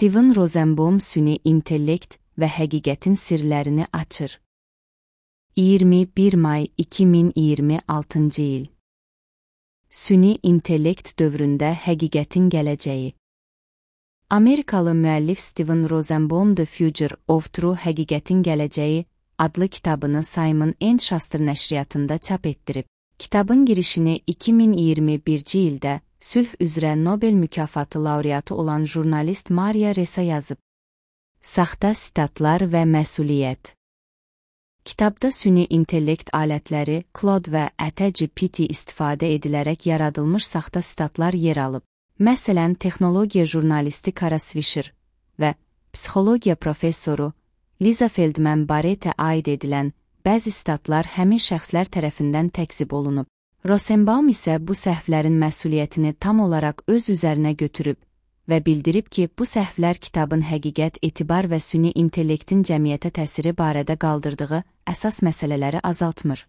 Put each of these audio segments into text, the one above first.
Steven Rosenbaum süni intellekt və həqiqətin sirlərini açır. 21 may 2026 il. Süni intellekt dövründə həqiqətin gələcəyi. Amerikalı müəllif Steven Rosenbaum The Future of True Həqiqətin Gələcəyi adlı kitabını Simon & Schuster nəşriyyatında çap etdirib. Kitabın girişini 2021-ci ildə sülh üzrə Nobel mükafatı laureatı olan jurnalist Maria Ressa yazıb. Saxta sitatlar və məsuliyyət. Kitabda süni intellekt alətləri, Claude və ChatGPT istifadə edilərək yaradılmış saxta sitatlar yer alıb. Məsələn, texnologiya jurnalisti Kara Swisher və psixologiya professoru Liza Feldman Barrettə aid edilən bəzi sitatlar həmin şəxslər tərəfindən təkzib olunub. Rosenbaum isə bu səhvlərin məsuliyyətini tam olaraq öz üzərinə götürüb və bildirib ki, bu səhvlər kitabın həqiqət, etibar və süni intellektin cəmiyyətə təsiri barədə qaldırdığı əsas məsələləri azaltmır.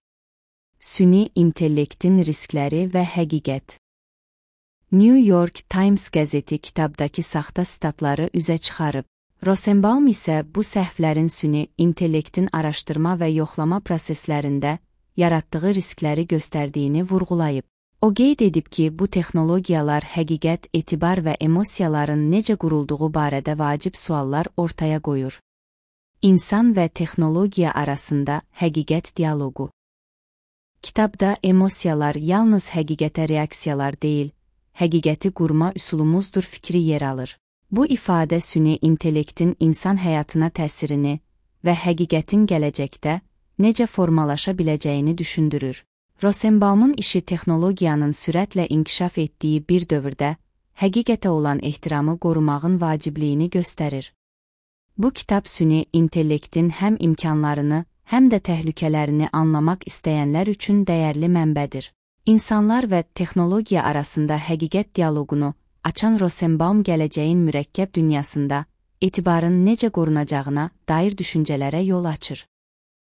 Süni intellektin riskləri və həqiqət. New York Times qəzeti kitabdakı saxta sitatları üzə çıxarıb. Rosenbaum isə bu səhvlərin süni intellektin araşdırma və yoxlama proseslərində yaratdığı riskləri göstərdiyini vurğulayıb. O qeyd edib ki, bu texnologiyalar həqiqət, etibar və emosiyaların necə qurulduğu barədə vacib suallar ortaya qoyur. İnsan və texnologiya arasında həqiqət dialoqu. Kitabda emosiyalar yalnız həqiqətə reaksiyalar deyil, həqiqəti qurma üsulumuzdur fikri yer alır. Bu ifadə süni intellektin insan həyatına təsirini və həqiqətin gələcəkdə necə formalaşa biləcəyini düşündürür. Rosenbaum'un işi texnologiyanın sürətlə inkişaf etdiyi bir dövrdə həqiqətə olan ehtiramı qorumağın vacibliyini göstərir. Bu kitab süni intellektin həm imkanlarını, həm də təhlükələrini anlamaq istəyənlər üçün dəyərli mənbədir. İnsanlar və texnologiya arasında həqiqət dialoqunu açan Rosenbaum gələcəyin mürəkkəb dünyasında etibarın necə qorunacağına dair düşüncələrə yol açır.